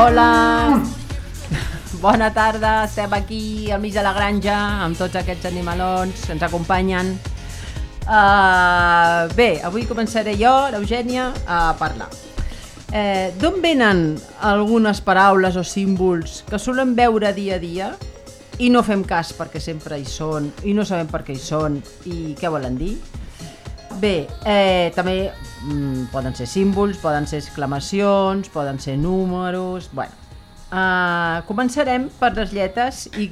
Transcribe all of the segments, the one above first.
Hola! Bona tarda, estem aquí al mig de la granja amb tots aquests animalons que ens acompanyen. Bé, avui començaré jo, l'Eugènia, a parlar. D'on venen algunes paraules o símbols que solem veure dia a dia i no fem cas perquè sempre hi són i no sabem per què hi són i què volen dir? Bé, també poden ser símbols, poden ser exclamacions, poden ser números... Bueno, començarem per les lletres Y,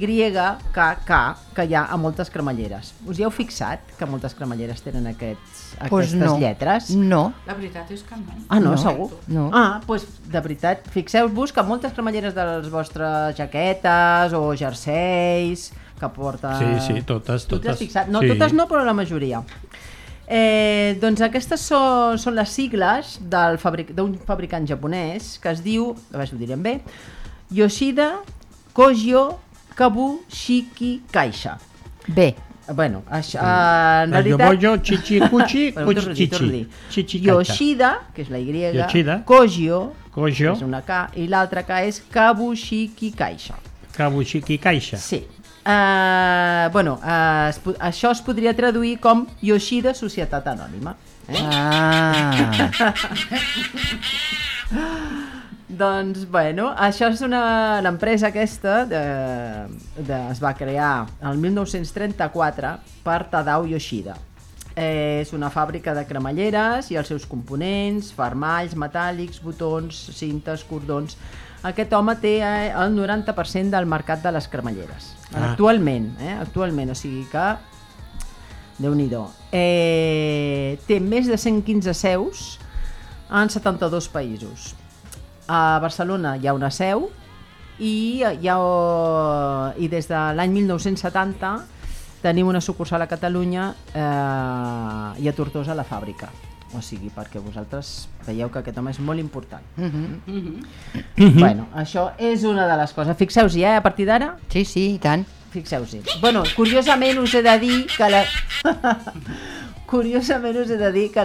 K, K, que hi ha a moltes cremalleres. Us hi heu fixat que moltes cremalleres tenen aquestes lletres? No. La veritat és que no. Ah, no, segur? No. Ah, doncs de veritat, fixeu-vos que moltes cremalleres de les vostres jaquetes o jerseis que porten... Sí, totes. Tu t'has fixat? No, sí. totes no, però la majoria. Doncs aquestes són les sigles d'un fabricant japonès que es diu, a veure si ho direm bé, Yoshida Kogyo Kabushiki Kaisha. Bé. Bueno, això, en realitat... Yomoyo, Chichikuchi, Kuchichi. Yoshida, que és la Y, Yoshida. Kogyo, Kogyo, és una K, i l'altra K és Kabushiki Kaisha. Kabushiki Kaisha. Sí. Bueno, això es podria traduir com Yoshida Societat Anònima. Doncs, bueno, això és l'empresa aquesta es va crear el 1934 per Tadao Yoshida. És una fàbrica de cremalleres i els seus components, fermalls, metàl·lics, botons, cintes, cordons. Aquest home té el 90% del mercat de les cremalleres. Actualment, o sigui que Déu-n'hi-do. Té més de 115 seus en 72 països. A Barcelona hi ha una seu i des de l'any 1970 tenim una sucursal a Catalunya i a Tortosa la fàbrica. O sigui, perquè vosaltres veieu que aquest home és molt important. Bueno, això és una de les coses. Fixeu-s'hi, a partir d'ara? Sí, i tant. Fixeu-s'hi. Bueno, curiosament us he de dir que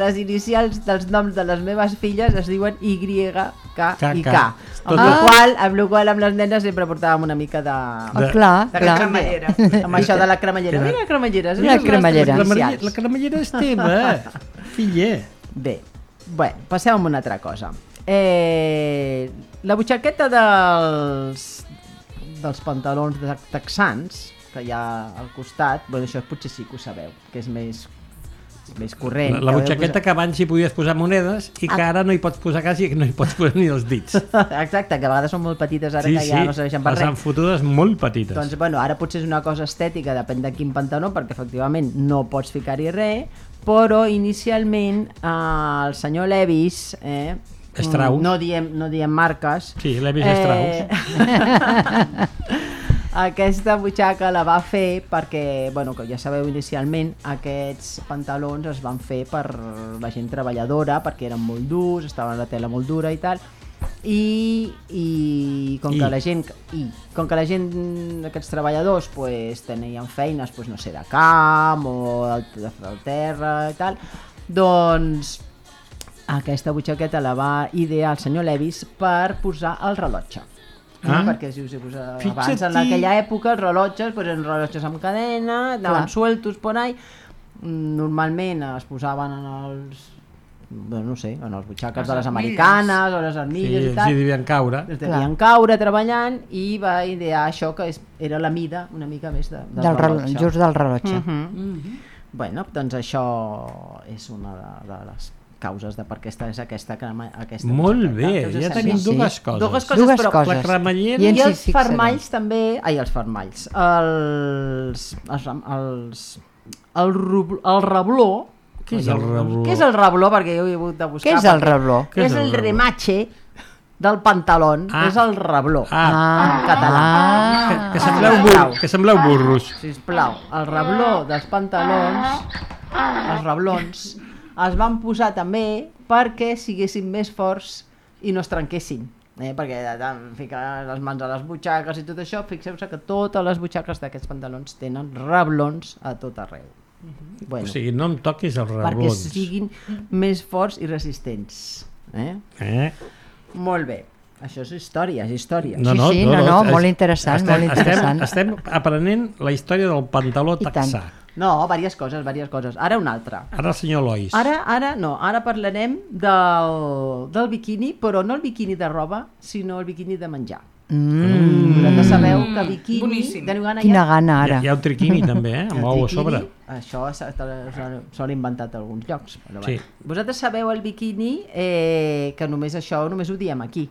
les inicials dels noms de les meves filles es diuen Y, K i K. Amb la qual amb les nenes sempre portàvem una mica de cremallera. Amb això de la cremallera. Mira, cremallera. La cremallera és teva, filla. Bé, bueno, passem a una altra cosa. La butxaqueta dels pantalons texans, que hi ha al costat, bueno, això potser sí que ho sabeu, que és més corrent. La butxaqueta que abans hi podies posar monedes i que ara no hi pots posar quasi, no hi pots posar ni els dits. Exacte, que a vegades són molt petites ara que ja no serveixen per res. Les han fotudes molt petites. Doncs bueno, ara potser és una cosa estètica, depèn de quin pantaló, perquè efectivament no pots ficar-hi res, però inicialment el senyor Levis, Strauss. No diem marques. Sí, Levis Strauss. Aquesta butxaca la va fer perquè, bueno, que ja sabeu inicialment, aquests pantalons es van fer per la gent treballadora, perquè eren molt durs, estaven a la tela molt dura i tal, i com que la gent, aquests treballadors pues, tenien feines, pues, no sé, de camp o del terra i tal, doncs aquesta butxaqueta la va idear el senyor Levis per posar el rellotge. Perquè si us abans en aquella època els rellotges eren rellotges amb cadena, anaven sueltos por ahí, normalment es posaven en els en els butxaques de les americanes o les armilles i tal, es devien caure treballant i va idear això que era la mida una mica més del rellotge, just del rellotge. Bueno, doncs això és una de les causes de per què és aquesta molt bé, ja tenim dues coses, però la cremallera i els fermalls també, els fermalls, el rebló. Què és el rebló? Què és el rebló? Perquè jo he hagut de buscar. Què és el rebló? És el remache del pantalón, és el rebló en català. Que sembleu burros. Sisplau, el rebló dels pantalons, els reblons, es van posar també perquè siguessin més forts i no es trenquessin, perquè ficar les mans a les butxaques i tot això, fixeu-se que totes les butxaques d'aquests pantalons tenen reblons a tot arreu. O sigui, no em toquis els reblons. Perquè siguin més forts i resistents. Molt bé. Això és història, és història. Sí, molt interessant, molt interessant. Estem aprenent la història del pantaló I tant. texà. No, diverses coses. Ara una altra. Ara el senyor Lois. Ara parlarem del biquini, però no el biquini de roba, sinó el biquini de menjar. Vosaltres sabeu que biquini... Boníssim. Teniu gana Quina ja? gana, ara. Hi ha un triquini també, amb ou a sobre. Això s'ho inventat a alguns llocs. Però Sí. Vosaltres sabeu el biquini que només ho diem aquí,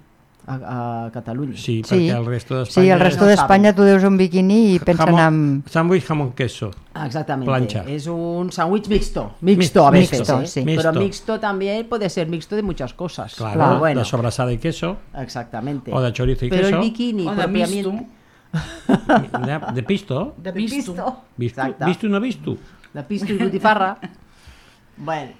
a Catalunya. Sí, Sí. perquè el resto d'Espanya... Sí, el resto No d'Espanya tu deus un biquini i pensen en... Sandwich jamón queso. Exactamente. Plancha. Es un sándwich mixto. Mixto a veces, Mixto, ¿eh? sí. Pero Mixto. mixto también puede ser mixto de muchas cosas. Claro, Pero bueno, de sobrasada y queso, exactamente. o de chorizo y Pero queso. el bikini O de misto. De pisto. De pisto. Visto, Exacte. visto no visto. De pisto i botifarra. Bueno,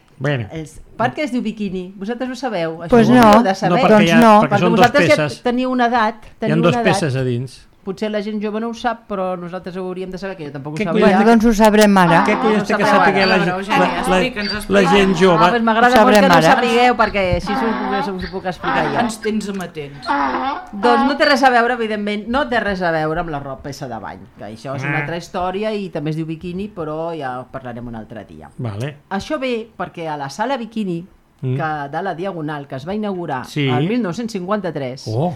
Per què es diu biquini? Vosaltres ho sabeu? Això Pues ho no. hauríeu de saber. No, Doncs no. perquè són dos vosaltres peces. ja teniu una edat. Hi ha dos peces a dins. Potser la gent jove no ho sap, però nosaltres ho hauríem de saber, que jo tampoc ho Què sabia. Bueno, doncs ho sabrem ara. Què collons té que sabeu saber ara? la, A veure, Eugènia, explica'ns, la explica'ns. gent Ah, jove? doncs m'agrada Ho molt que sabrem no ho ara. sapigueu, perquè així us ho puc explicar jo. Ens tens amatents. Doncs no té res a veure, evidentment, no té res a veure amb la roba peça de bany, que això és una altra història i també es diu biquini, però ja en parlarem un altre dia. Vale. Això ve perquè a la sala biquini, que de la Diagonal, que es va inaugurar Sí. el 1953, Oh,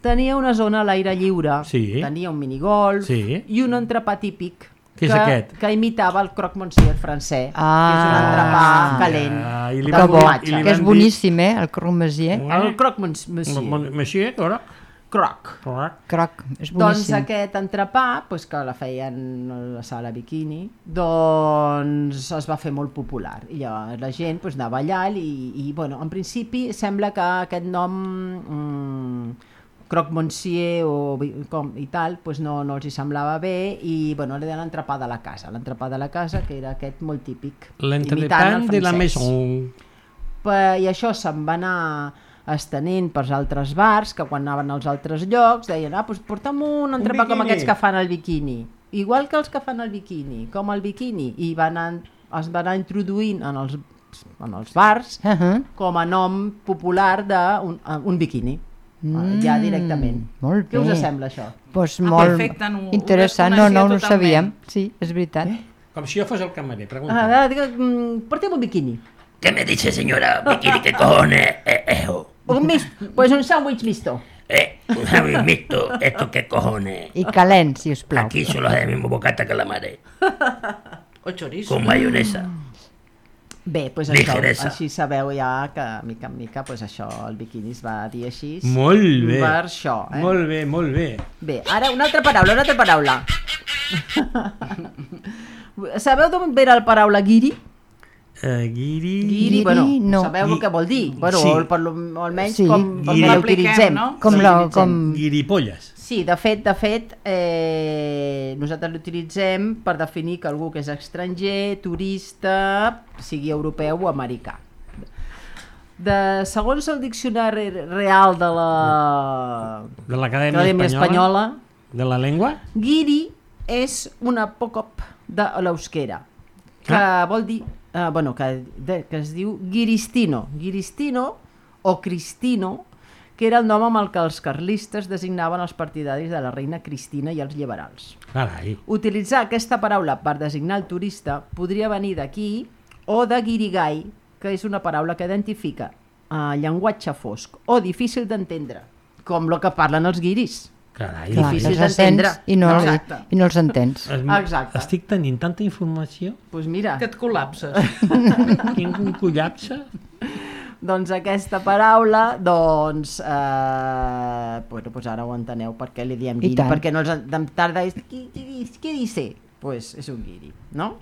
tenia una zona a l'aire lliure, Sí. tenia un minigolf Sí. i un entrepà típic Què és aquest? que imitava el croque monsieur francès, Ah. que és un entrepà calent Ah, i li de van dir- formatge. i li Que és van boníssim, el croque-monsieur. El croque monsieur, Monsieur, ara? croc. Croc, és Doncs boníssim. aquest entrepà, pues, que la feien a la sala biquini, doncs es va fer molt popular. I llavors la gent pues, anava allà i bueno, en principi sembla que aquest nom croque monsieur i tal pues no els hi semblava bé i bueno, li deien l'entrepà de la casa. L'entrepà de la casa, que era aquest molt típic. L'entrepan de la francès. maison. I això se'n va anar estenent pels altres bars, que quan anaven als altres llocs deien, doncs porta'm un entrepà com biquini. aquests que fan el biquini, igual que els que fan el biquini, com el biquini, i es va anar introduint en els bars com a nom popular d'un biquini, ja directament. Molt Què us bé. sembla això? Pues molt perfecte, ho interessant, desconeixia no ho totalment. sabíem. Sí, és veritat. Com si jo fos el camarer, pregunta. Porta'm un biquini. ¿Qué me dice, señora? ¿Bikini qué cojones? Un mixto, pues un sándwich mixto. Un sándwich mixto, ¿esto qué cojones? I calent, si us plau. Aquí solo es el mismo bocata que la mare, O chorizo. con mayonesa. Bé, doncs Ligeresa. això, així sabeu ja que mica en mica pues això, el biquini es va dir així. Molt bé. Per això. Molt bé, molt bé. Bé, ara una altra paraula. Sabeu d'on ve la paraula guiri? Guiri... Guiri, bueno, no. sabeu el que vol dir? Bueno, Sí. almenys Sí. com Guiri. la utilitzem. No? Com Sí, la- l'utilitzem. com- Guiripolles. Sí, de fet, nosaltres l'utilitzem per definir que algú que és estranger, turista, sigui europeu o americà. Segons el diccionari real de De l'Acadèmia l'Acadèmia Espanyola, De la llengua? guiri és un apòcop de l'euskera, que vol dir, que es diu guiristino. Guiristino o cristino, que era el nom amb el que els carlistes designaven els partidaris de la reina Cristina i els liberals. Carai. Utilitzar aquesta paraula per designar el turista podria venir d'aquí o de guirigay, que és una paraula que identifica llenguatge fosc o difícil d'entendre, com el que parlen els guiris. Carai. Clar, difícil els sents d'entendre. i no Exacte. els entens. Exacte. Estic tenint tanta informació Doncs mira, Que et col·lapses. tinc un collapse. doncs aquesta paraula, doncs ara ho enteneu per què li diem I guiri, tant. perquè no els tarda és què dice? Pues és un guiri, no?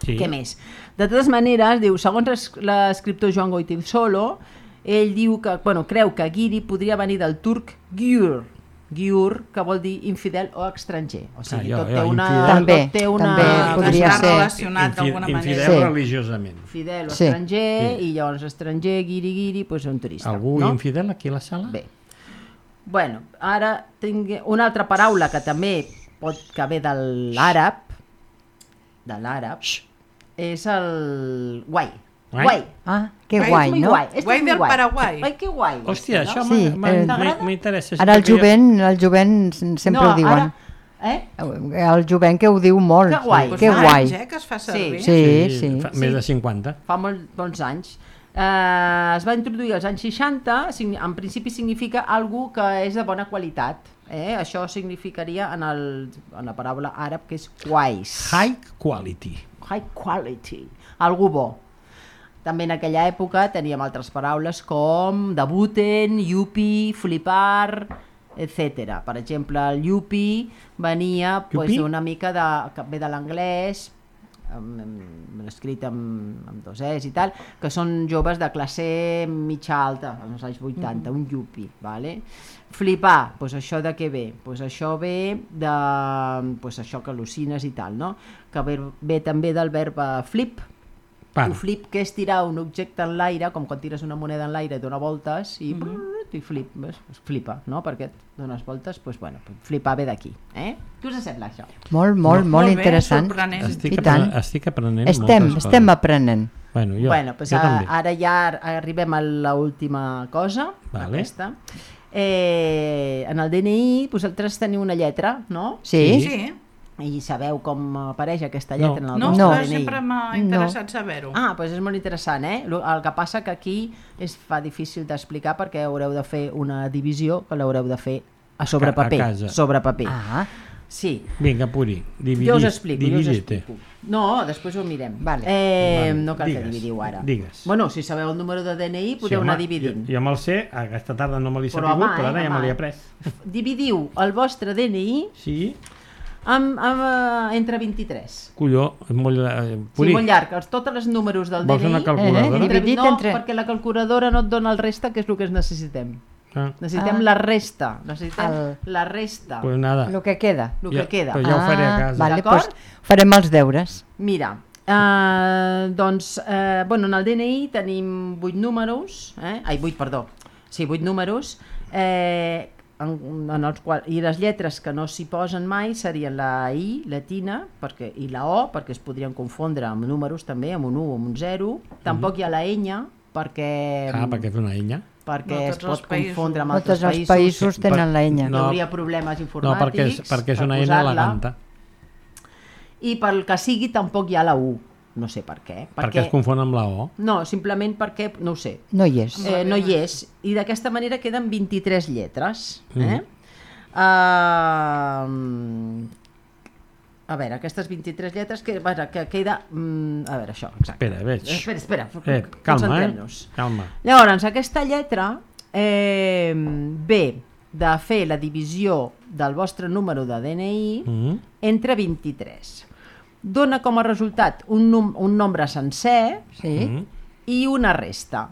Sí. Què més? De totes maneres, diu, segons l'escriptor Joan Goytisolo, ell diu que, creu que guiri podria venir del turc gyur, que vol dir infidel o estranger. O sigui, jo, tot té infidel. una... També, tot té una... també podria Està ser. relacionat d'alguna Infidel manera. Sí. religiosament. Fidel o Sí. estranger, i llavors estranger, guiri, doncs un turista. Algú no? infidel aquí a la sala? Bé. Bueno, ara tinc una altra paraula que també que ve de l'àrab, és el guai. Guai. Ah, que Guai, guai, Muy no? guai. Esto Guai es muy del guai. Paraguai. Ai, que guai. Hòstia, no? això Sí, m'interessa. Ara el jovent sempre ho diuen. El jovent que ho diu molt. Que guai. Pues Que fa guai. anys, que es fa servir. Sí. Fa més de 50. Fa molts anys. Es va introduir als anys 60, en principi significa algú que és de bona qualitat. Això significaria en la paraula àrab que és quais. High quality. High quality. Algú bo. També en aquella època teníem altres paraules com debuten, yupi, flipar, etc. Per exemple, el yupi venia una mica que ve de l'anglès, escrit amb dos es i tal, que són joves de classe mitja alta, als anys 80, un yupi, vale? Flipar, doncs això de què ve? Doncs això ve de això que al·lucines i tal, no? Que ve també del verb flip. Un flip, que és tirar un objecte en l'aire, com quan tires una moneda en l'aire i dona voltes i flipa, no? Perquè dones voltes, doncs bueno, flipar ve d'aquí. Què us sembla això? Molt interessant. Estic aprenent moltes coses. Estem aprenent. Bueno, jo també. Ara ja arribem a l'última cosa, aquesta. En el DNI vosaltres teniu una lletra, no? Sí. I sabeu com apareix aquesta lletra en el vostre DNI? No, sempre m'ha interessat saber-ho. Doncs és molt interessant, El que passa que aquí es fa difícil d'explicar perquè haureu de fer una divisió que l'haureu de fer sobre paper. Sobre paper. Sí. Vinga, Puri, jo us explico. No, després ho mirem. No cal que dividiu ara. Digues. Bueno, si sabeu el número de DNI podeu anar dividint. Jo me'l sé, aquesta tarda no me l'he sabut, però ara ja me l'he après. Dividiu el vostre DNI entre 23. Colló, és molt llarg. Sí, molt llarg. Tots els números del DNI... Vols una calculadora? No, perquè la calculadora no et dona el resta, que és el que necessitem. Necessitem la resta. La resta. Pues nada. El que queda. Però ja ho faré a casa. Vale, pues farem els deures. Mira, doncs, en el DNI tenim 8 números, 8 números, en els quals, i les lletres que no s'hi posen mai serien la I latina i la O, perquè es podrien confondre amb números també, amb un 1 o amb un 0. Tampoc hi ha la ñ, perquè... perquè és una ñ. Perquè es pot confondre amb altres països. Tots els països tenen la ñ. Hi hauria problemes informàtics. No, perquè és una ñ eleganta. I pel que sigui tampoc hi ha la U. No sé per què. Perquè es confon amb la O? No, simplement perquè, no ho sé. No hi és. No hi és. I d'aquesta manera queden 23 lletres. A veure, aquestes 23 lletres que queda... A veure, això, exacte. Espera. Calma. Llavors, aquesta lletra ve de fer la divisió del vostre número de DNI entre 23. Dona com a resultat un nombre sencer i una resta.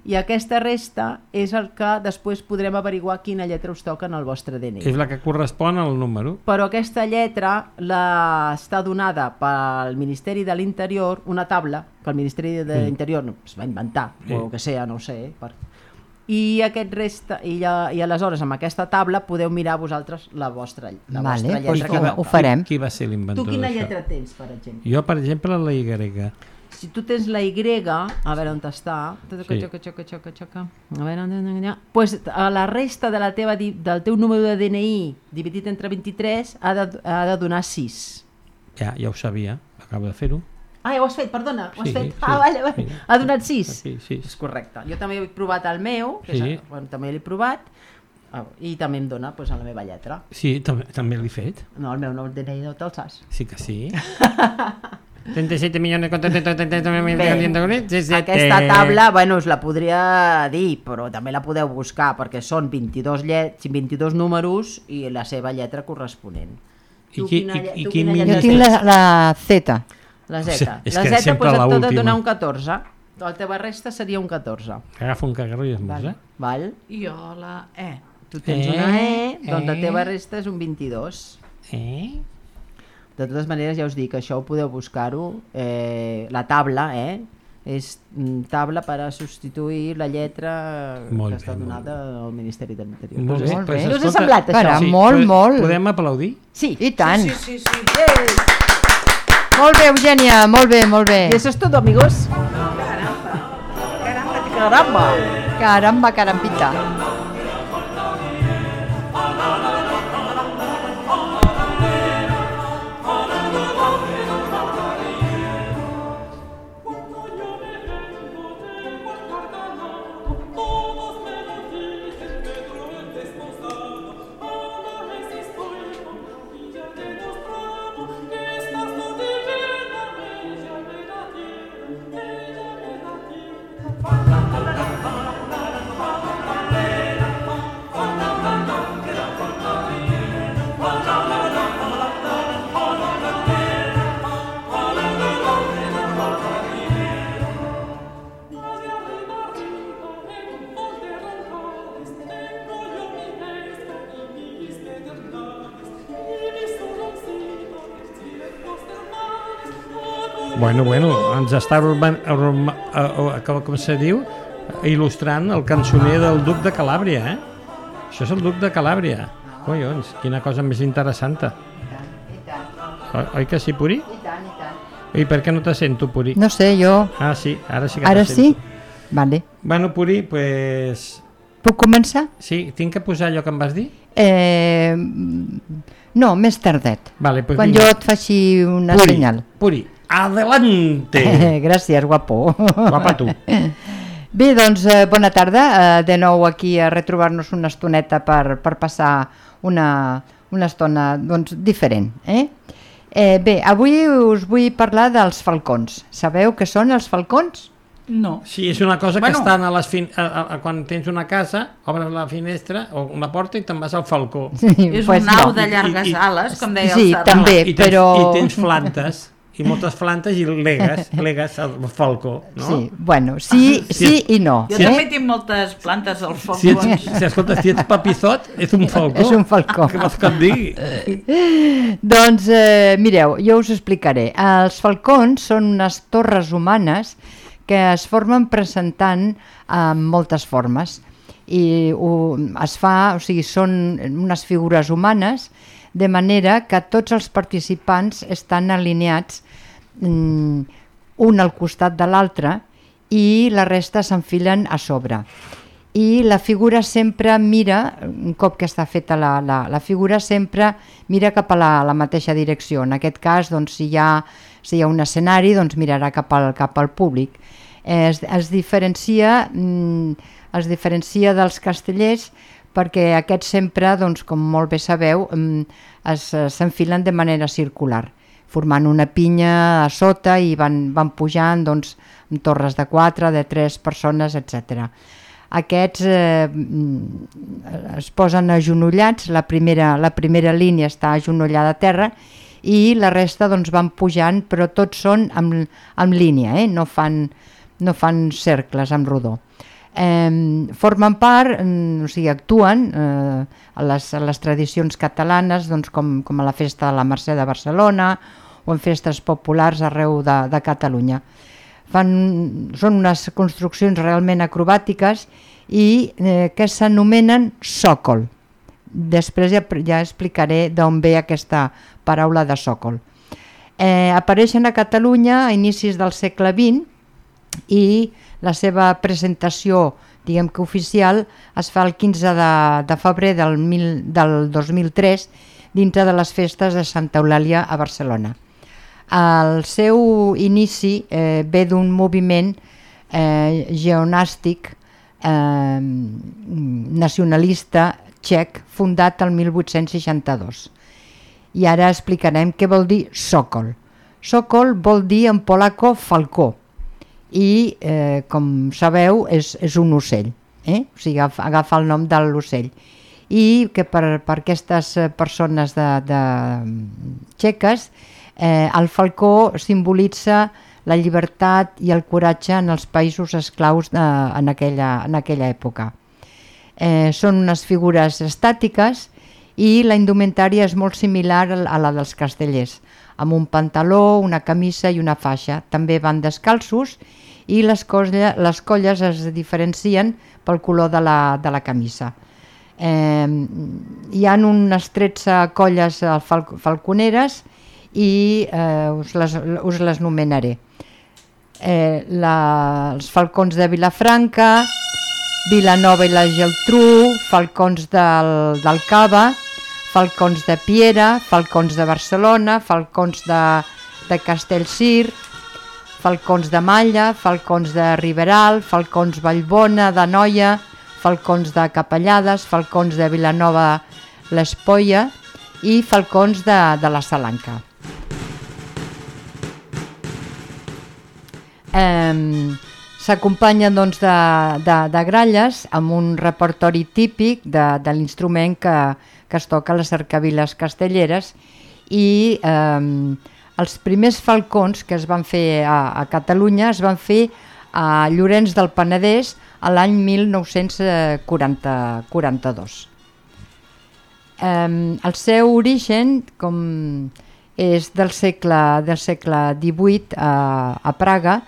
I aquesta resta és el que després podrem averiguar quina lletra us toca en el vostre DNI. És la que correspon al número. Però aquesta lletra està donada pel Ministeri de l'Interior, una taula que el Ministeri de l'Interior es va inventar, o el que sea, no ho sé. I aleshores amb aquesta taula podeu mirar vosaltres la vostra lletra. Ho farem. Qui va ser l'inventor d'això? Tu quina lletra tens, per exemple? Jo, per exemple, la Y. Si tu tens la Y, a veure on està, doncs la resta del teu número de DNI dividit entre 23 ha de donar 6. Ja ho sabia, acabo de fer-ho. Ja ho has fet, perdona, ho has fet. Vale. Ha donat 6? Sí. És correcte. Jo també he provat el meu, també l'he provat, i també em dona la meva lletra. Sí, també l'he fet. No, el meu no, el DNI no te'l saps. Sí que sí. 37 milions de... Aquesta taula, us la podria dir, però també la podeu buscar, perquè són 22 números i la seva lletra corresponent. Jo tinc la Z. La Z. La Z et pot donar un 14. La teva resta seria un 14. Agafa un cagarro i esmosa. Val? I jo la E. Tu tens una E, doncs la teva resta és un 22. De totes maneres, ja us dic, això ho podeu buscar-ho. La taula, és taula per a substituir la lletra que està donada al Ministeri de l'Interior. Molt bé. No us ha semblat això? Molt. Podem aplaudir? Sí. I tant. Sí. Molt bé, Eugènia, molt bé. I això és tot, amigos. Encara. Caramba! Caramba, carambita. Bueno, ens està com se diu, il·lustrant el cançoner del Duc de Calàbria, eh? Això és el Duc de Calàbria. Collons, quina cosa més interessant. Oi que sí, Puri? I tant, i tant. I per què no te sento, Puri? No sé, jo... Ah, sí, ara sí que Ara te sento. sí? Vale. Bueno, Puri, pues... Puc començar? Sí, tinc que posar allò que em vas dir? No, més tardet. Vale, pues Quan vinga. jo et faci una Puri, senyal. Puri, adelante! Gràcies, guapo. Guapa tu. Bé, doncs, bona tarda. De nou aquí a retrobar-nos una estoneta per passar una estona doncs, diferent. Bé, avui us vull parlar dels falcons. Sabeu què són els falcons? No. Sí, és una cosa que Bueno. estan a les quan tens una casa, obres la finestra o una porta i te'n vas al falcó. Sí, És pues un au no. de llargues ales, com deia Sí, el Serrat. també. I tens, però- I tens plantes, i moltes plantes i legues al falcó, no? Sí, bueno, sí i no. Jo també tinc moltes plantes als Si falcons. escolta, si ets papizot, és un falcó. És un falcó. Què vols que et digui? Doncs mireu, jo us explicaré. Els falcons són unes torres humanes que es formen presentant en moltes formes i són unes figures humanes de manera que tots els participants estan alineats un al costat de l'altre i la resta s'enfilen a sobre. I la figura sempre mira, un cop que està feta la figura, sempre mira cap a la mateixa direcció. En aquest cas, doncs, si hi ha un escenari, doncs mirarà cap al públic. Es diferencia dels castellers perquè aquests sempre, doncs, com molt bé sabeu, s'enfilen de manera circular, formant una pinya a sota i van pujant doncs, amb torres de 4, de 3 persones, etc. Aquests es posen agenollats, la primera línia està agenollada a terra i la resta doncs, van pujant, però tots són en línia, no fan cercles amb rodó. Formen part, o sigui, actuen a les tradicions catalanes, doncs, com a la festa de la Mercè de Barcelona o en festes populars arreu de Catalunya. Són unes construccions realment acrobàtiques i que s'anomenen sòcol. Després ja explicaré d'on ve aquesta paraula de sòcol. Apareixen a Catalunya a inicis del segle XX i la seva presentació, diguem que oficial, es fa el 15 de febrer del 2003 dintre de les festes de Santa Eulàlia a Barcelona. El seu inici ve d'un moviment geonàstic nacionalista txec fundat el 1862. I ara explicarem què vol dir sòcol. Sòcol vol dir en polaco falcó i, com sabeu, és un ocell, o sigui, agafa el nom de l'ocell. I que per aquestes persones txeques el falcó simbolitza la llibertat i el coratge en els països esclaus en aquella època. Són unes figures estàtiques i la indumentària és molt similar a la dels castellers, amb un pantaló, una camisa i una faixa. També van descalços i les colles es diferencien pel color de la camisa. Hi ha unes 13 colles falconeres i us les nomenaré. els falcons de Vilafranca, Vilanova i la Geltrú, falcons del Cava, falcons de Piera, falcons de Barcelona, falcons de Castellcir, falcons de Malla, falcons de Riberal, falcons Vallbona, de Noia, falcons de Capellades, falcons de Vilanova l'Espolla i falcons de la Salanca. S'acompanyen doncs, de gralles amb un repertori típic de l'instrument que es toca a les cercaviles castelleres i els primers falcons que es van fer a Catalunya es van fer a Llorenç del Penedès a l'any 1942. El seu origen és del segle XVIII a Praga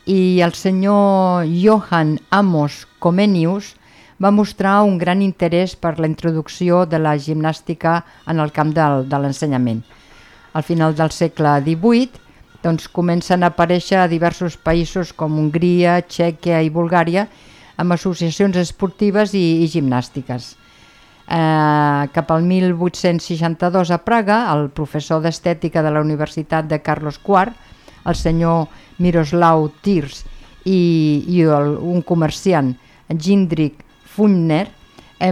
i el senyor Johann Amos Comenius va mostrar un gran interès per la introducció de la gimnàstica en el camp de l'ensenyament. Al final del segle XVIII doncs, comencen a aparèixer a diversos països com Hongria, Txèquia i Bulgària amb associacions esportives i gimnàstiques. Cap al 1862 a Praga, el professor d'estètica de la Universitat de Carlos IV, el senyor Miroslav Tirs i un comerciant, Jindřich Funtner,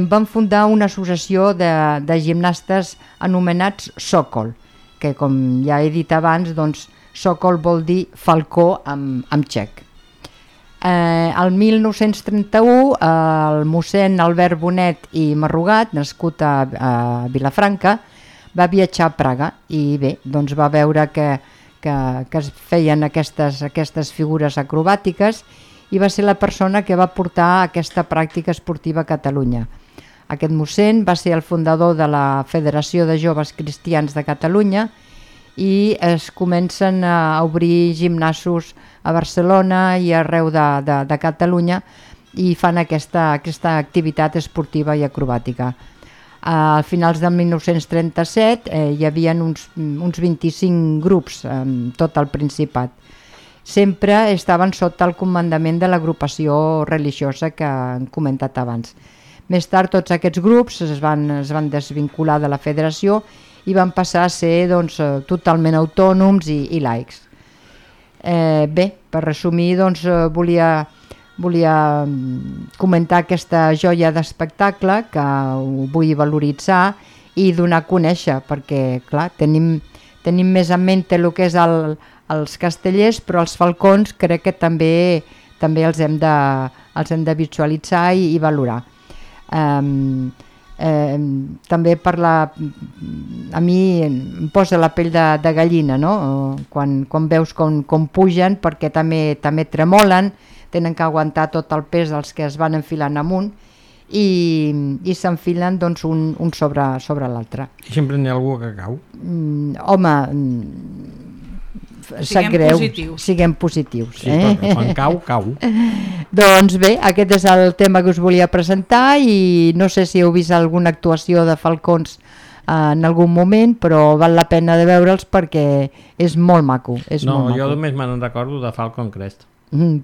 van fundar una associació de gimnastes anomenats Sokol, que com ja he dit abans, doncs, Sokol vol dir falcó en txec. El 1931 el mossèn Albert Bonet i Marrugat, nascut a Vilafranca, va viatjar a Praga i bé, doncs va veure que es feien aquestes figures acrobàtiques i va ser la persona que va portar aquesta pràctica esportiva a Catalunya. Aquest mossèn va ser el fundador de la Federació de Joves Cristians de Catalunya i es comencen a obrir gimnasos a Barcelona i arreu de Catalunya i fan aquesta activitat esportiva i acrobàtica. A finals del 1937 hi havia uns 25 grups en tot el Principat. Sempre estaven sota el comandament de l'agrupació religiosa que hem comentat abans. Més tard tots aquests grups es van desvincular de la federació i van passar a ser doncs, totalment autònoms i laics. Bé, per resumir, doncs, volia comentar aquesta joia d'espectacle que ho vull valoritzar i donar a conèixer, perquè clar, tenim més en mente el que és els castellers, però els falcons crec que també els hem de visualitzar i valorar. També a mi em posa la pell de gallina, no? Quan veus com pugen, perquè també tremolen, tenen que aguantar tot el pes dels que es van enfilant amunt i s'enfilen doncs, un sobre l'altre. I sempre n'hi ha algú que cau? Home, sap greu, siguem positius. Sí, però quan cau. Doncs bé, aquest és el tema que us volia presentar i no sé si heu vist alguna actuació de falcons en algun moment, però val la pena de veure'ls perquè és molt maco. Jo només me'n recordo de Falcon Crest.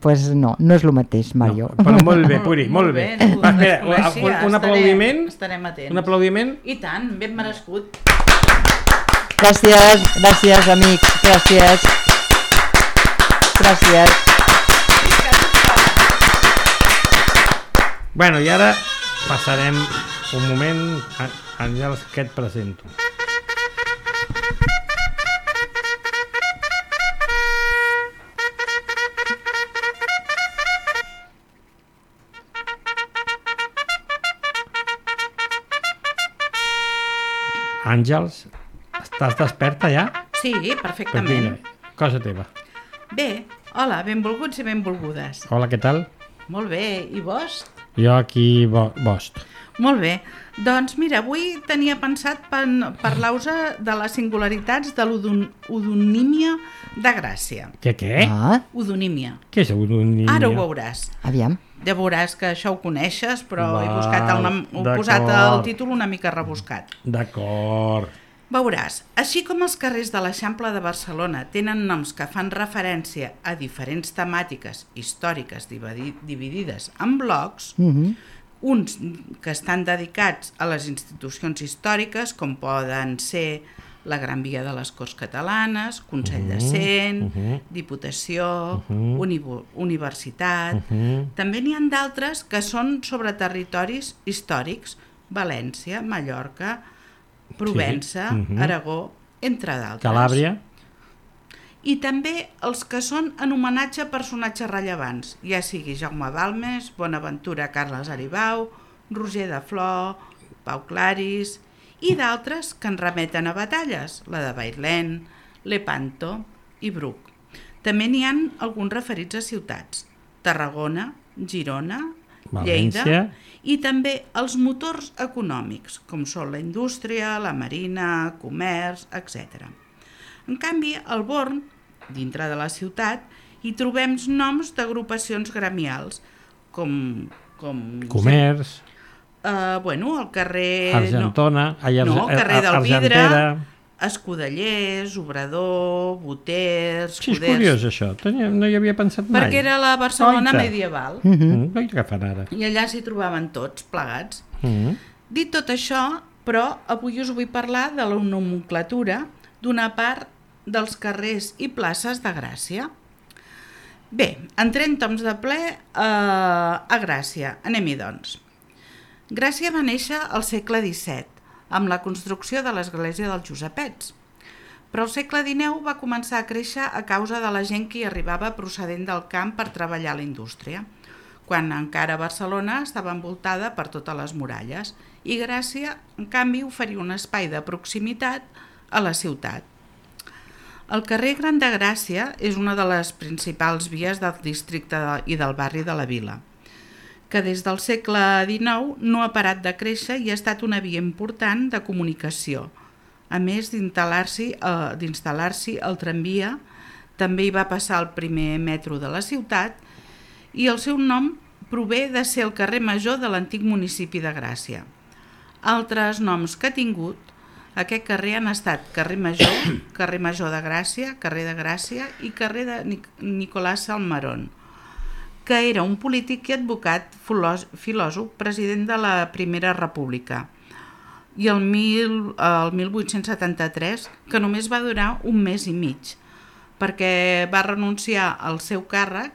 Pues no és el mateix, Mario. No, però molt bé, Puri, molt bé. Un aplaudiment. Estarem atents. Un aplaudiment. I tant, ben merescut. Gràcies, amics, gràcies. Bueno, i ara passarem un moment, Àngels, que et presento. Àngels, estàs desperta ja? Sí, perfectament. Cosa teva. Bé, hola, benvolguts i benvolgudes. Hola, què tal? Molt bé, i vos? Jo aquí, bost. Molt bé, doncs mira, avui tenia pensat parlar-vos de les singularitats de l'odonímia de Gràcia. Què? Odonímia. Què és odonímia? Ara ho veuràs. Aviam. Ja veuràs que això ho coneixes, però he posat el títol una mica rebuscat. D'acord. Veuràs, així com els carrers de l'Eixample de Barcelona tenen noms que fan referència a diferents temàtiques històriques dividides en blocs, uns que estan dedicats a les institucions històriques, com poden ser la Gran Via de les Corts Catalanes, Consell de Cent, Diputació, Universitat. També n'hi ha d'altres que són sobre territoris històrics, València, Mallorca, Provença, Aragó, entre d'altres. Calàbria. I també els que són en homenatge a personatges rellevants, ja sigui Jaume Balmes, Bonaventura Carles Aribau, Roger de Flor, Pau Claris, i d'altres que en remeten a batalles, la de Bailén, Lepanto i Bruc. També n'hi ha alguns referits a ciutats, Tarragona, Girona, València. Lleida, i també els motors econòmics, com són la indústria, la marina, comerç, etc. En canvi, al Born, dintre de la ciutat, hi trobem noms d'agrupacions gremials, com Comerç. El carrer... Argentona. Carrer del Vidre, Argentera. Escudellers, Obrador, Boters... Sí, és curiós això, no hi havia pensat mai. Perquè era la Barcelona medieval. Què fan ara? I allà s'hi trobaven tots plegats. Dit tot això, però avui us vull parlar de la nomenclatura d'una part dels carrers i places de Gràcia. Bé, entrem toms de ple a Gràcia. Anem-hi, doncs. Gràcia va néixer al segle XVII, amb la construcció de l'església dels Josepets. Però al segle XIX va començar a créixer a causa de la gent que hi arribava procedent del camp per treballar a la indústria, quan encara Barcelona estava envoltada per totes les muralles, i Gràcia, en canvi, oferia un espai de proximitat a la ciutat. El carrer Gran de Gràcia és una de les principals vies del districte i del barri de la Vila, que des del segle XIX no ha parat de créixer i ha estat una via important de comunicació. A més d'instal·lar-s'hi el tramvia, també hi va passar el primer metro de la ciutat i el seu nom prové de ser el carrer major de l'antic municipi de Gràcia. Altres noms que ha tingut aquest carrer han estat carrer Major de Gràcia, carrer de Gràcia i carrer de Nicolás Salmerón, que era un polític i advocat filòsof, president de la Primera República, i el 1873, que només va durar un mes i mig, perquè va renunciar al seu càrrec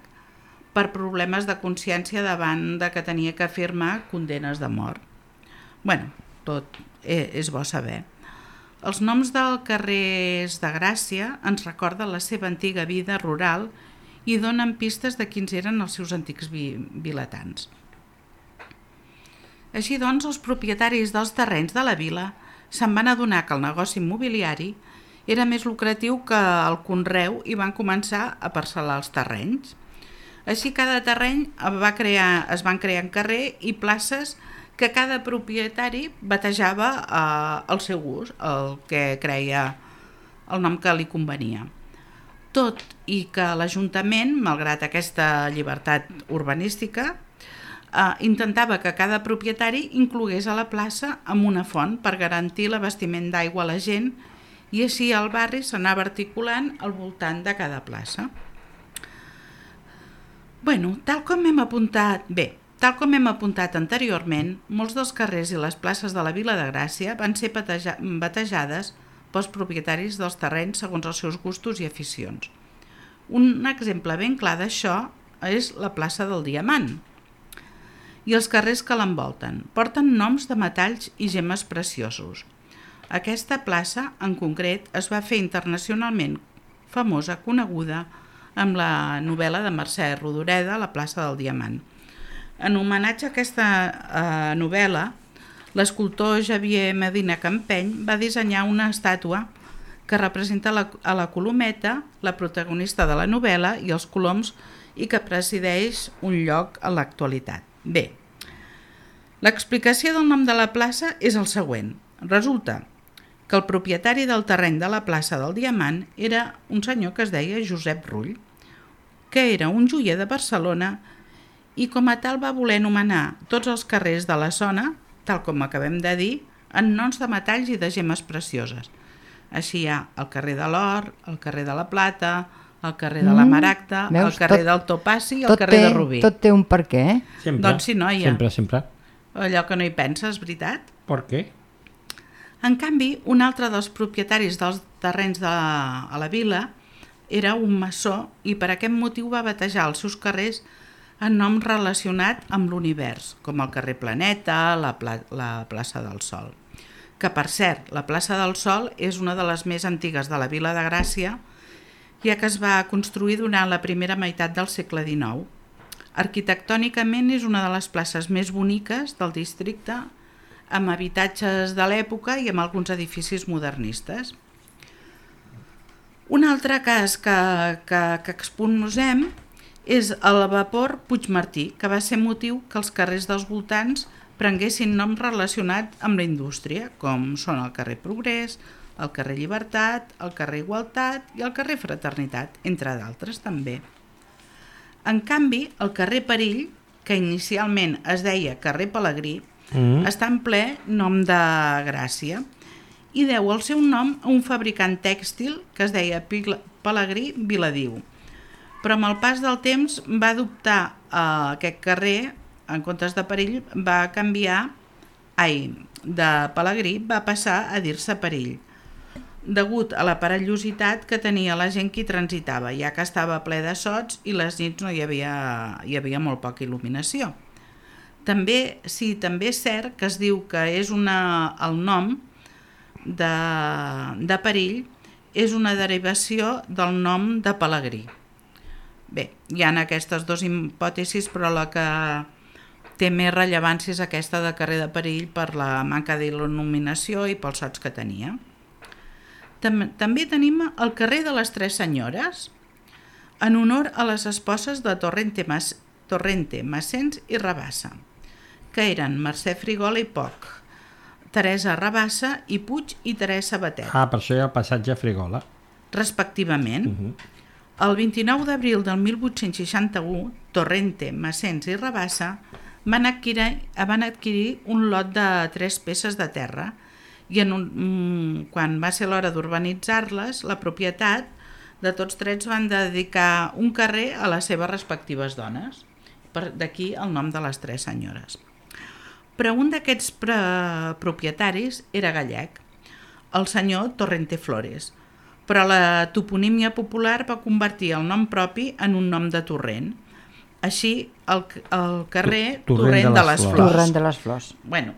per problemes de consciència davant de que tenia que firmar condenes de mort. Tot és bo saber. Els noms dels carrers de Gràcia ens recorden la seva antiga vida rural i donen pistes de quins eren els seus antics vilatans. Així doncs, els propietaris dels terrenys de la vila se'n van adonar que el negoci immobiliari era més lucratiu que el conreu i van començar a parcel·lar els terrenys. Així, cada terreny es van crear en carrer i places que cada propietari batejava al seu gust, el que creia el nom que li convenia. Tot i que l'Ajuntament, malgrat aquesta llibertat urbanística, intentava que cada propietari inclogués a la plaça amb una font per garantir l'abastiment d'aigua a la gent i així el barri s'anava articulant al voltant de cada plaça. Tal com hem apuntat anteriorment, molts dels carrers i les places de la Vila de Gràcia van ser batejades pels propietaris dels terrenys segons els seus gustos i aficions. Un exemple ben clar d'això és la plaça del Diamant i els carrers que l'envolten. Porten noms de metalls i gemmes preciosos. Aquesta plaça, en concret, es va fer internacionalment famosa, coneguda, amb la novel·la de Mercè Rodoreda, La plaça del Diamant. En homenatge a aquesta novel·la, l'escultor Xavier Medina Campeny va dissenyar una estàtua que representa a la Colometa, la protagonista de la novel·la, i els coloms, i que presideix un lloc en l'actualitat. Bé, l'explicació del nom de la plaça és el següent. Resulta que el propietari del terreny de la plaça del Diamant era un senyor que es deia Josep Rull, que era un joier de Barcelona i com a tal va voler anomenar tots els carrers de la zona, tal com acabem de dir, en noms de metalls i de gemmes precioses. Així hi ha el carrer de l'Or, el carrer de la Plata, el carrer de la Maragda, el veus? carrer del Topazi i el carrer de Rubí. Tot té un per què, eh? Sempre, Doncs sí, noia. sempre. Allò que no hi penses, veritat? Per què? En canvi, un altre dels propietaris dels terrenys a la vila era un maçó i per aquest motiu va batejar els seus carrers en nom relacionat amb l'univers, com el carrer Planeta, la plaça del Sol. Que, per cert, la plaça del Sol és una de les més antigues de la vila de Gràcia, ja que es va construir durant la primera meitat del segle XIX. Arquitectònicament és una de les places més boniques del districte, amb habitatges de l'època i amb alguns edificis modernistes. Un altre cas que exposem és el vapor Puigmartí, que va ser motiu que els carrers dels voltants prenguessin noms relacionats amb la indústria, com són el carrer Progrés, el carrer Llibertat, el carrer Igualtat i el carrer Fraternitat, entre d'altres també. En canvi, el carrer Perill, que inicialment es deia carrer Pelegrí, està en ple nom de Gràcia i deu el seu nom a un fabricant tèxtil que es deia Pelegrí Viladiu. Però amb el pas del temps va adoptar aquest carrer, en comptes de Perill, va canviar, de Pelegrí va passar a dir-se Perill, degut a la perillositat que tenia la gent que hi transitava, ja que estava ple de sots i les nits no hi havia molt poca il·luminació. També és cert que es diu que és el nom de Perill és una derivació del nom de Pelegrí. Bé, hi ha aquestes dues hipòtesis, però la que té més rellevància és aquesta de carrer de Perill per la manca d'il·luminació i pels sots que tenia. També tenim el carrer de les Tres Senyores, en honor a les esposes de Torrente, Massens i Rabassa, que eren Mercè Frigola i Poch, Teresa Rabassa i Puig i Teresa Batet. Per això hi ha el passatge Frigola. Respectivament. El 29 d'abril del 1861, Torrente, Massens i Rabassa van adquirir un lot de 3 peces de terra i quan va ser l'hora d'urbanitzar-les, la propietat de tots 3 van dedicar un carrer a les seves respectives dones. D'aquí el nom de les Tres Senyores. Però un d'aquests propietaris era gallec, el senyor Torrente Flores, però la toponímia popular va convertir el nom propi en un nom de torrent. Així, el carrer Torrent de les Flors. Torrent de les Flors. Bueno,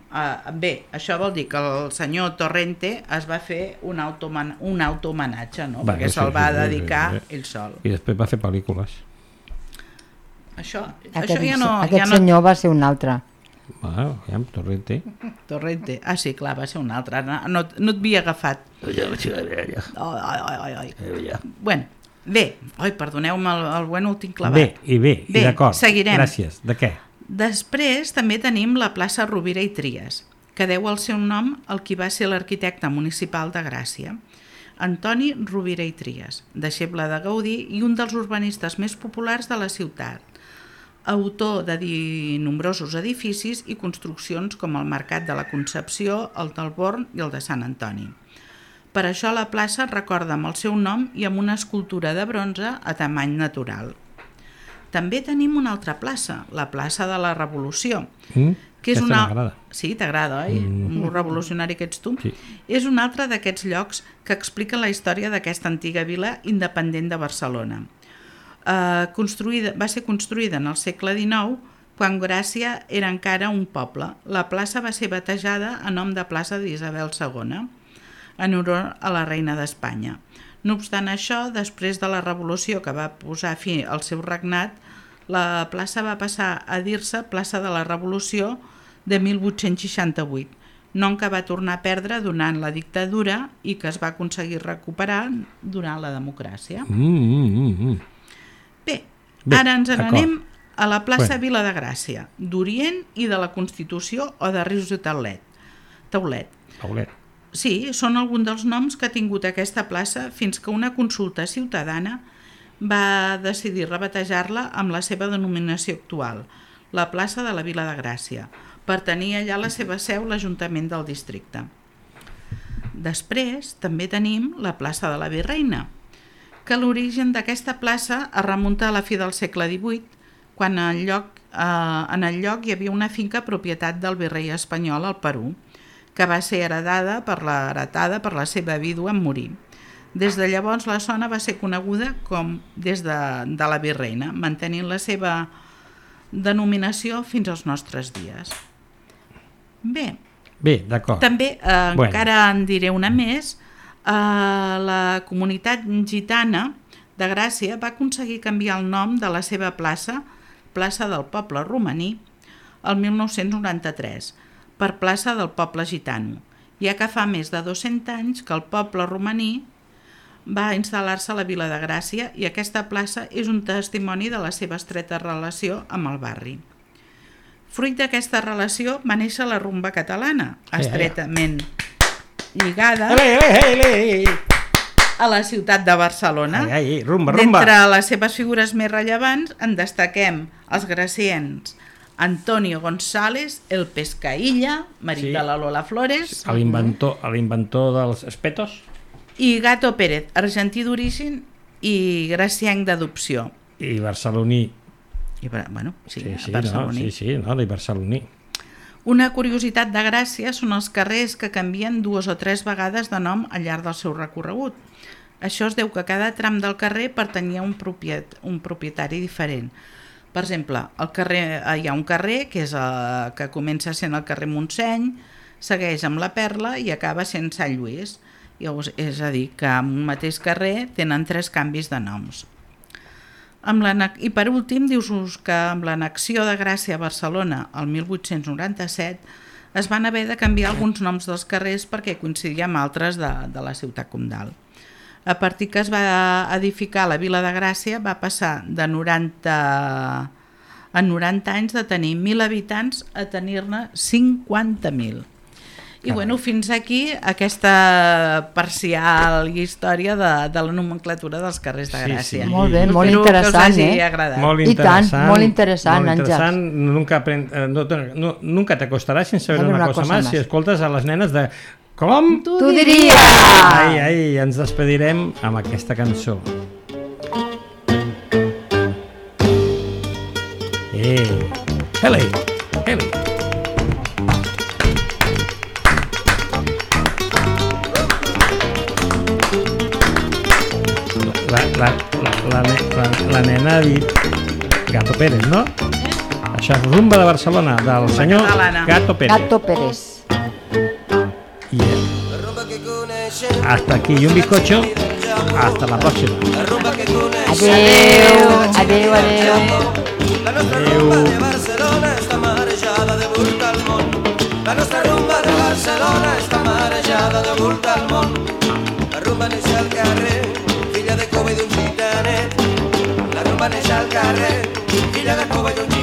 bé, això vol dir que el senyor Torrente es va fer un autohomenatge, no? Perquè se'l va dedicar ell sol. I després va fer pel·lícules. Això Aquest ja no... senyor va ser un altre. Torrente. Torrente. Sí, clar, va ser un altre. No et havia agafat. Bueno, bé. Perdoneu-me, el bueno el tinc clavat. Bé, d'acord. Seguirem. Gràcies. De què? Després també tenim la plaça Rovira i Trias, que deu el seu nom al qui va ser l'arquitecte municipal de Gràcia, Antoni Rovira i Trias, deixeble de Gaudí i un dels urbanistes més populars de la ciutat, autor de nombrosos edificis i construccions com el Mercat de la Concepció, el del Born i el de Sant Antoni. Per això la plaça recorda amb el seu nom i amb una escultura de bronze a tamany natural. També tenim una altra plaça, la plaça de la Revolució, que és m'agrada. Sí, t'agrada, oi? Un revolucionari que ets tu. Sí. És un altre d'aquests llocs que expliquen la història d'aquesta antiga vila independent de Barcelona. Va ser construïda en el segle XIX, quan Gràcia era encara un poble. La plaça va ser batejada a nom de plaça d'Isabel II, en honor a la reina d'Espanya. No obstant això, després de la revolució que va posar fi al seu regnat, la plaça va passar a dir-se plaça de la Revolució de 1868, nom que va tornar a perdre durant la dictadura i que es va aconseguir recuperar durant la democràcia. Bé, ara ens n'anem a la plaça Vila de Gràcia, d'Orient i de la Constitució o de Rius i Taulet. Sí, són alguns dels noms que ha tingut aquesta plaça fins que una consulta ciutadana va decidir rebatejar-la amb la seva denominació actual, la plaça de la Vila de Gràcia, per tenir allà la seva seu l'Ajuntament del districte. després també tenim la plaça de la Virreina, que l'origen d'aquesta plaça es remunta a la fi del segle XVIII, quan en el lloc hi havia una finca propietat del virrei espanyol al Perú, que va ser heretada per la seva vídua en morir. Des de llavors la zona va ser coneguda com des de la Virreina, mantenint la seva denominació fins als nostres dies. Bé, d'acord. també encara en diré una més. La comunitat gitana de Gràcia va aconseguir canviar el nom de la seva plaça del poble romaní, el 1993, per plaça del poble gitano, ja que fa més de 200 anys que el poble romaní va instal·lar-se a la vila de Gràcia i aquesta plaça és un testimoni de la seva estreta relació amb el barri. Fruit d'aquesta relació va néixer la rumba catalana, estretament lligada a la ciutat de Barcelona. Rumba. D'entre les seves figures més rellevants en destaquem els graciens Antonio González, el Pescaïlla, marit de la Lola Flores, l'inventor dels espetos, i Gato Pérez, argentí d'origen i gracienc d'adopció. I barceloní. Barceloní. I barceloní. Una curiositat de Gràcia són els carrers que canvien 2 o 3 vegades de nom al llarg del seu recorregut. Això es deu que cada tram del carrer pertanyia a un propietari diferent. Per exemple, hi ha un carrer que comença sent el carrer Montseny, segueix amb la Perla i acaba sent Sant Lluís. És a dir, que en un mateix carrer tenen 3 canvis de noms. I per últim, dius que amb l'annexió de Gràcia a Barcelona el 1897 es van haver de canviar alguns noms dels carrers perquè coincidia amb altres de la ciutat comtal. A partir que es va edificar la vila de Gràcia va passar de 90 anys de tenir 1.000 habitants a tenir-ne 50.000. I fins aquí aquesta parcial història de la nomenclatura dels carrers de Gràcia. Sí. Molt bé, molt interessant, Molt interessant, Àngels. Nunca te costarà sin saber una cosa más si escoltes a les nenes de Com tu diries? Ai, ens despedirem amb aquesta cançó. Heli. La nena ha dit Gato Pérez, no? Això és Rumba de Barcelona, del senyor Gato Pérez. Gato Pérez. Hasta aquí y un bizcocho. Hasta la próxima. Adeu. La nostra rumba de Barcelona està marejada de volta al món. La nostra rumba de Barcelona està marejada de volta al món. La rumba neix al carrer, filla de cova i d'un gitanet. La rumba neix al carrer, filla de cova i d'un